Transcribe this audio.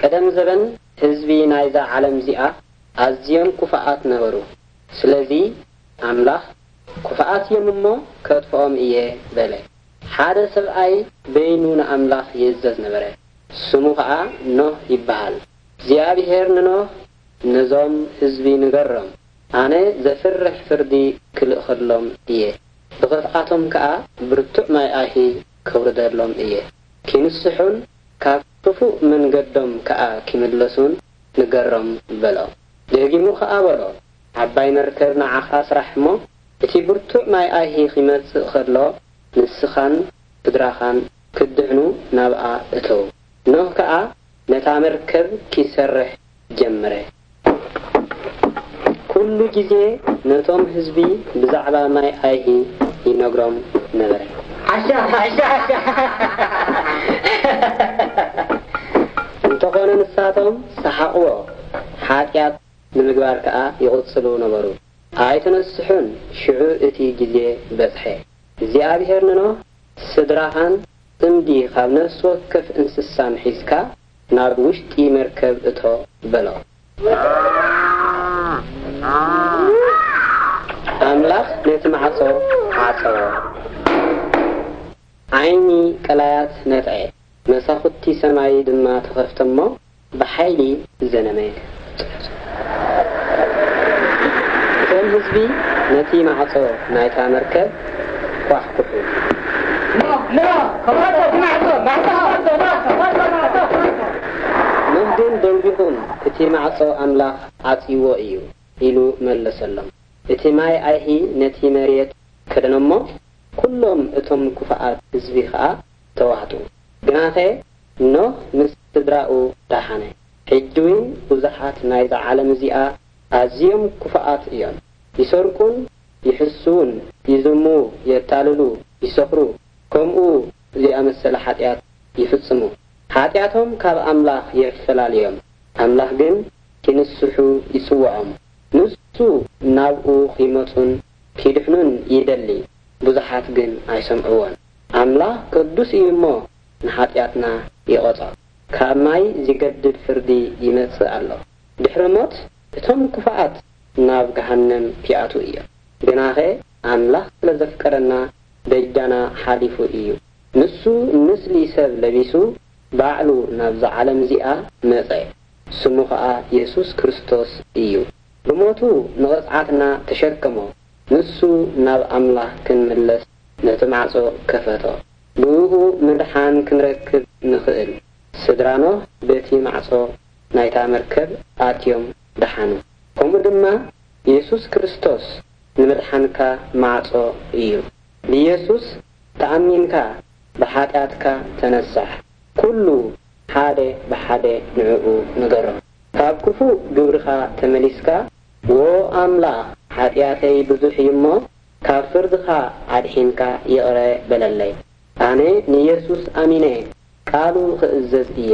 ቀደም ዘበን ህዝቢ ናይዛ ዓለም እዚኣ ኣዝዮም ክፉኣት ነበሩ። ስለዚ ኣምላኽ፣ "ክፉኣት እዮም እሞ ከጥፍኦም እየ" በለ። ሓደ ሰብኣይ በይኑ ንኣምላኽ ይእዘዝ ነበረ። ስሙ ኸኣ ኖህ ይበሃል። እግዚኣብሄር ንኖህ፣ "ነዞም ህዝቢ ንገሮም፣ ኣነ ዘፍርሕ ፍርዲ ክልእኸሎም እየ። ብኽፍኣቶም ከኣ ብርቱዕ ማይ ኣይሂ ከውርደሎም እየ። ኪንስሑን ካብ ክፉእ መንገዶም ከኣ ኪምለሱን ንገሮም" በሎ። ደጊሙ ኸኣ በሎ፣ "ዓባይ መርከብ ንዓኻ ስራሕ እሞ፣ እቲ ብርቱዕ ማይ ኣይሂ ኺመጽእ ኸሎ፣ ንስኻን ስድራኻን ክትድሕኑ ናብኣ እተዉ።" ኖህ ከኣ ነታ መርከብ ኪሰርሕ ጀመረ። ኩሉ ግዜ ነቶም ህዝቢ ብዛዕባ ማይ ኣይሂ ይነግሮም ነበረ። ሓሻ፣ ሓሻ፣ ሓሻ። እንተኾነ ንሳቶም ሰሓቕዎ፣ ሓጢኣት ንምግባር ከኣ ይቕጽሉ ነበሩ። ኣይተነስሑን፣ ሽዑ እቲ ግዜ በጽሐ። እግዚኣብሄር ንኖህ፣ "ስድራኻን ጽምዲ ካብ ነፍሲ ወከፍ እንስሳን ሒዝካ ናብ ውሽጢ መርከብ እቶ" በሎ። ኣምላኽ ነቲ ማዕጾ ዓጸዎ። ዓይኒ ቀላያት ነጥዐ፣ መሳኹቲ ሰማይ ድማ ተኸፍተ እሞ ብሓይሊ ዘነመ። እቶም ህዝቢ ነቲ ማዕጾ ናይታ መርከብ ኳሕኩሑ። ኖህ፣ ኖህ፣ ክፈቶ እቲ ማዕጾ፣ ማዕጾ ክፈቶ፣ ኖህ፣ ክፈቶ፣ ማዕጾ ክፈቶ። ኖህ ግን ደንጒኹም፣ "እቲ ማዕጾ ኣምላኽ ዓጽይዎ እዩ" ኢሉ መለሰሎም። እቲ ማይ ኣይሂ ነቲ መሬት ከደኖ እሞ፣ ኩሎም እቶም ክፉኣት ህዝቢ ኸኣ ተዋህጡ። ግናኸ ኖህ ምስ ስድራኡ ደሓነ። ሕጂ እውን ብዙሓት ናይዛ ዓለም እዚኣ ኣዝዮም ክፉኣት እዮም። ይሰርቁን ይሕስዉን፣ ይዝምዉ፣ የታልሉ፣ ይሰኽሩ፣ ከምኡ ዝኣመሰለ ሓጢኣት ይፍጽሙ። ሓጢኣቶም ካብ ኣምላኽ የፈላልዮም። ኣምላኽ ግን ኪንስሑ ይጽውዖም። ንሱ ናብኡ ኺመጹን ኪድሕኑን ይደሊ፣ ብዙሓት ግን ኣይሰምዕዎን። ኣምላኽ ቅዱስ እዩ እሞ ንሓጢኣትና ይቐጾ። ካብ ማይ ዚገድድ ፍርዲ ይመጽእ ኣሎ። ድሕሪ ሞት እቶም ክፉኣት ናብ ገሃነም ኪኣትዉ እዮም። ግናኸ ኣምላኽ ስለ ዘፍቀረና በጃና ሓሊፉ እዩ። ንሱ ምስሊ ሰብ ለቢሱ ባዕሉ ናብዛ ዓለም እዚኣ መጸ። ስሙ ኸኣ የሱስ ክርስቶስ እዩ። ብሞቱ ንቕጽዓትና ተሸከሞ። ንሱ ናብ ኣምላኽ ክንምለስ ነቲ ማዕጾ ከፈቶ። ብእኡ ምድሓን ክንረክብ ንኽእል። ስድራ ኖህ በቲ ማዕጾ ናይታ መርከብ ኣትዮም ደሓኑ። ከምኡ ድማ የሱስ ክርስቶስ ንምድሓንካ ማዕጾ እዩ። ብየሱስ ተኣሚንካ ብሓጢኣትካ ተነሳሕ። ኩሉ ሓደ ብሓደ ንዕኡ ንገሮ። ካብ ክፉእ ግብርኻ ተመሊስካ፣ "ዎ ኣምላኽ፣ ሓጢኣተይ ብዙሕ እዩ እሞ፣ ካብ ፍርድኻ ኣድሒንካ ይቕረ በለለይ። ኣነ ንየሱስ ኣሚነ ቃሉ ክእዘዝ እየ"